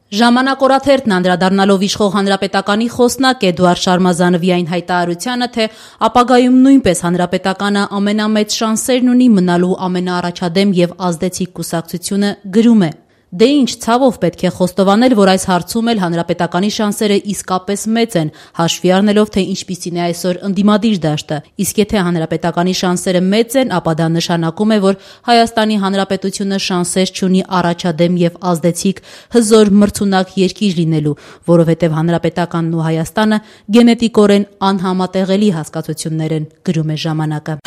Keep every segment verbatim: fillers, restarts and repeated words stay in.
Ժամանակ օրաթերթն անդրադառնալով իշխող հանրապետականի խոսնակ Էդուարդ Շարմազանովի այն հայտարարությանը, թե ապագայում նույնպես հանրապետականը ամենամեծ շանսերն ունի մնալու ամենաառաջադեմ եւ ազդեցիկ կուսակցությունը, գրում է. Դե ինչ ցավով պետք է խոստովանել, որ այս հարցում էլ հանրապետականի շանսերը իսկապես մեծ են, հաշվի առնելով, թե ինչպիսին է այսօր ընդդիմադիր դաշտը, իսկ եթե հանրապետականի շանսերը մեծ են, ապա դա նշանակում է, որ Հայաստանի Հանրապետությունը շանսեր չունի առաջադեմ եւ ազդեցիկ հզոր մրցունակ երկիր լինելու, որովհետեւ հանրապետականն ու Հայաստանը գենետիկորեն անհամատեղելի հասկացություններ են, գրում է ժամանակը։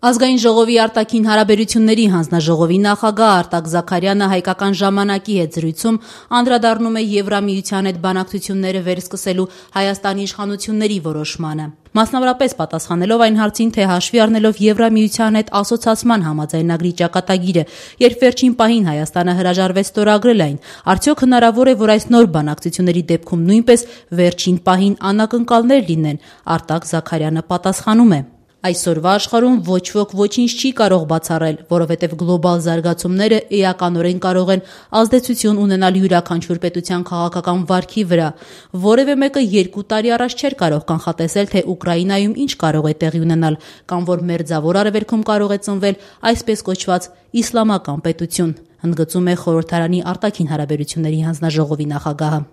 Ազգային ժողովի արտաքին հարաբերությունների հանձնաժողովի նախագահ Արտակ Զաքարյանը հայկական ժամանակի հետ զրույցում անդրադառնում է Եվրամիության հետ բանակցությունները վերսկսելու Հայաստանի իշխանությունների որոշմանը։ Մասնավորապես պատասխանելով այն հարցին, թե հաշվի առնելով Եվրամիության հետ ասոցացման համաձայնագրի ճակատագիրը, երբ վերջին պահին Հայաստանը հրաժարվեց ստորագրել այն, արդյոք հնարավոր է, որ այս նոր բանակցությունների դեպքում նույնպես վերջին պահին անակնկալներ լինեն, Արտակ Զաքարյանը պատասխանում է. Այսօրվա աշխարհում ոչ ոք ոչինչ չի կարող բացառել, որովհետև գլոբալ զարգացումները էականորեն կարող են ազդեցություն ունենալ յուրաքանչյուր պետության քաղաքական վարքի վրա։ Որևէ մեկը երկու տարի առաջ չէր կարող կանխատեսել, թե Ուկրաինայում ինչ կարող է տեղի ունենալ, կամ որ Մերձավոր Արևելքում կարող է ծնվել այսպես կոչված իսլամական պետություն, ընդգծում է խորհրդարանի արտաքին հարաբերությունների հանձնաժողովի նախագահը։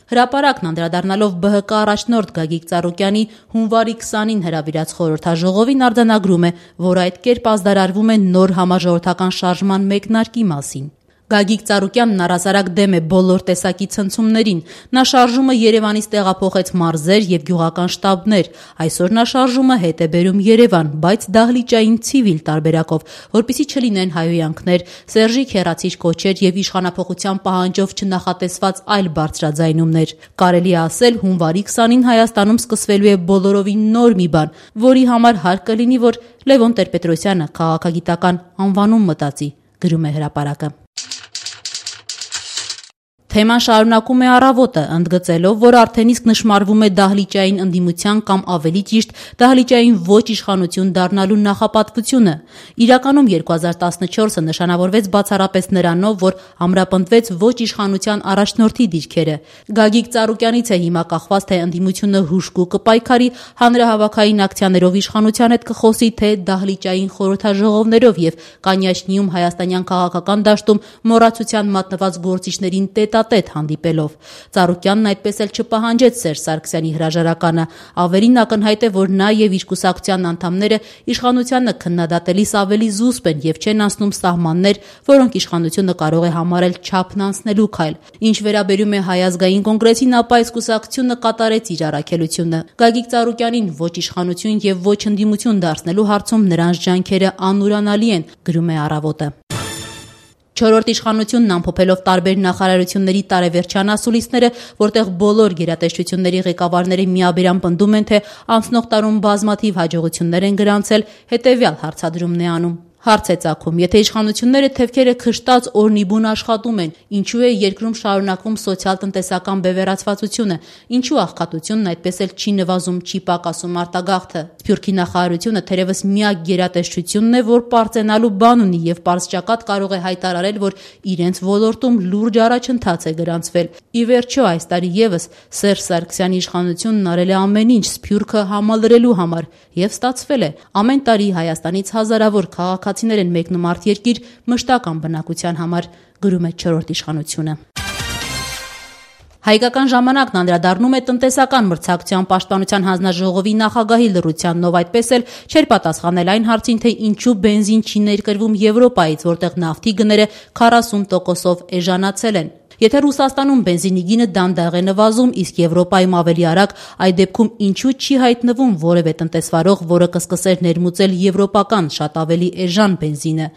Հրապարակն անդրադառնալով Բ Հ Կ առաջնորդ Գագիկ Ծառուկյանի հունվարի քսանին հրավիրած խորհրդաժողովին արձանագրում է, որ այդ կերպ ազդարարվում է նոր համաժողովրդական շարժման մեկնարկի մասին։ Գագիկ Ծառուկյանն առհասարակ դեմ է բոլոր տեսակի ցնցումներին։ Նա շարժումը Երևանից տեղափոխեց մարզեր եւ գյուղական շտաբներ։ Այսօր նա շարժումը հետ է բերում Երևան, բայց դահլիճային ցիվիլ տարբերակով, որպեսզի չլինեն հայհոյանքներ, Սերժի քերացիչ կոչեր եւ իշխանափոխության պահանջով չնախատեսված այլ բարձրաձայնումներ։ Կարելի է ասել, հունվարի քսանին Հայաստանում սկսվելու է բոլորովին նոր մի բան, որի համար հարկ կլինի, որ Լևոն Տեր-Պետրոսյանը քաղաքագիտական անվանում մտածի, գրում է հրապարակը։ Թեման շարունակում է Առավոտը, ընդգծելով, որ արդեն իսկ նշմարվում է դահլիճային ընդդիմության կամ ավելի ճիշտ դահլիճային ոչ իշխանություն դառնալու նախապատվությունը։ Իրականում երկու հազար տասնչորսը նշանավորվեց բացառապես նրանով, որ ամրապնդվեց ոչ իշխանության առաջնորդի դիրքերը։ Գագիկ Ծառուկյանից է հիմա կախված, թե ընդդիմությունը հուժկու կպայքարի, հանրահավաքային ակցիաներով իշխանության հետ կխոսի, թե դահլիճային խորհրդաժողովներով եւ Կանյաչնիում հայաստանյան քաղաքական դաշտում մոռացության մատնված գործիչներին տետա տետ հանդիպելով։ Ծառուկյանն այդպես էլ չպահանջեց Սերժ Սարգսյանի հրաժարականը։ Ավելին ակնհայտ է, որ նա եւ իր կուսակցության անդամները իշխանությանը քննադատելիս ավելի զուսպ են եւ չեն անցնում սահմաններ, որոնք իշխանությունը կարող է համարել չափն անցնելու քայլ։ Ինչ վերաբերում է Հայ ազգային կոնգրեսին, ապա այս կուսակցությունը կատարեց իր առաքելությունը։ Գագիկ Ծառուկյանին ոչ իշխանություն եւ ոչ ընդդիմություն դարձնելու հարցում նրանց ջանքերը անուրանալի են, գրում է Առավոտը։ Չորրորդ իշխանությունն ամփոփելով տարբեր նախարարությունների տարեվերջյան ասուլիսները, որտեղ բոլոր գերատեսչությունների ղեկավարները միաբերան պնդում են, թե անցնող տարում բազմաթիվ հաջողություններ են գրանցել, հետեւյալ հարցադրումն է անում. Հարց է ծագում, եթե իշխանությունները թևքերը քշտած օրնիբուն աշխատում են, ինչու է երկրում շարունակվում սոցիալ-տնտեսական բևեռացվածությունը, ինչու աղքատությունն այդպես էլ չի նվազում, չի պակասում արտագաղթը։ Սփյուռքի նախարարությունը թերևս միակ գերատեսչությունն է, որ պարծենալու բան ունի եւ պարզճակատ կարող է հայտարարել, որ իրենց ոլորտում լուրջ առաջընթաց է գրանցվել։ Ի վերջո, այս տարի եւս Սերժ Սարգսյանի իշխանությունն արել է ամեն ինչ Սփյուռքը համալրելու համար եւ ստացվել է։ Ամեն տարի Հայաստանից հազարավոր քաղաքացիներ են մեկնում արտերկիր մշտական բնակության համար, գրում է չորրորդ իշխանությունը։ Հայկական ժամանակն անդրադառնում է տնտեսական մրցակցության պաշտպանության հանձնաժողովի նախագահի լռությանով, այդպես էլ չէր պատասխանել այն հարցին, թե ինչու բենզին չի ներկրվում Եվրոպայից, որտեղ նավթի գները քառասուն տոկոսով էժանացել են։ Եթե Ռուսաստանում բենզինի գինը դանդաղ է նվազում, իսկ Եվրոպայում ավելի արագ, այդ դեպքում ինչու չի հայտնվում որևէ տնտեսվարող, որը կսկսեր ներմուծել եվրոպական շատ ավելի էժան բենզինը։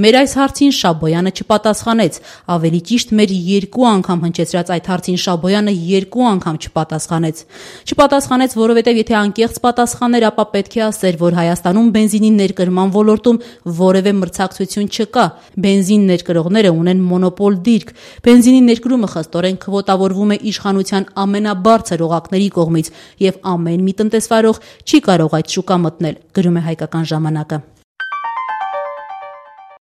Մեր այս հարցին Շաբոյանը չպատասխանեց, ավելի ճիշտ մեր երկու անգամ հնչեցրած այդ հարցին Շաբոյանը երկու անգամ չպատասխանեց։ Չպատասխանեց, որովհետև եթե անկեղծ պատասխաներ, ապա պետք է ասեր, որ Հայաստանում բենզինի ներկրման ոլորտում որևէ մրցակցություն չկա։ Բենզին ներկրողները ունեն մոնոպոլ դիրք։ Բենզինի ներկրումը խստորեն քվոտավորվում է իշխանության ամենաբարձր օղակների կողմից եւ ամեն մի տնտեսվարող չի կարող այդ շուկա մտնել, գրում է Հայկական ժամանակը։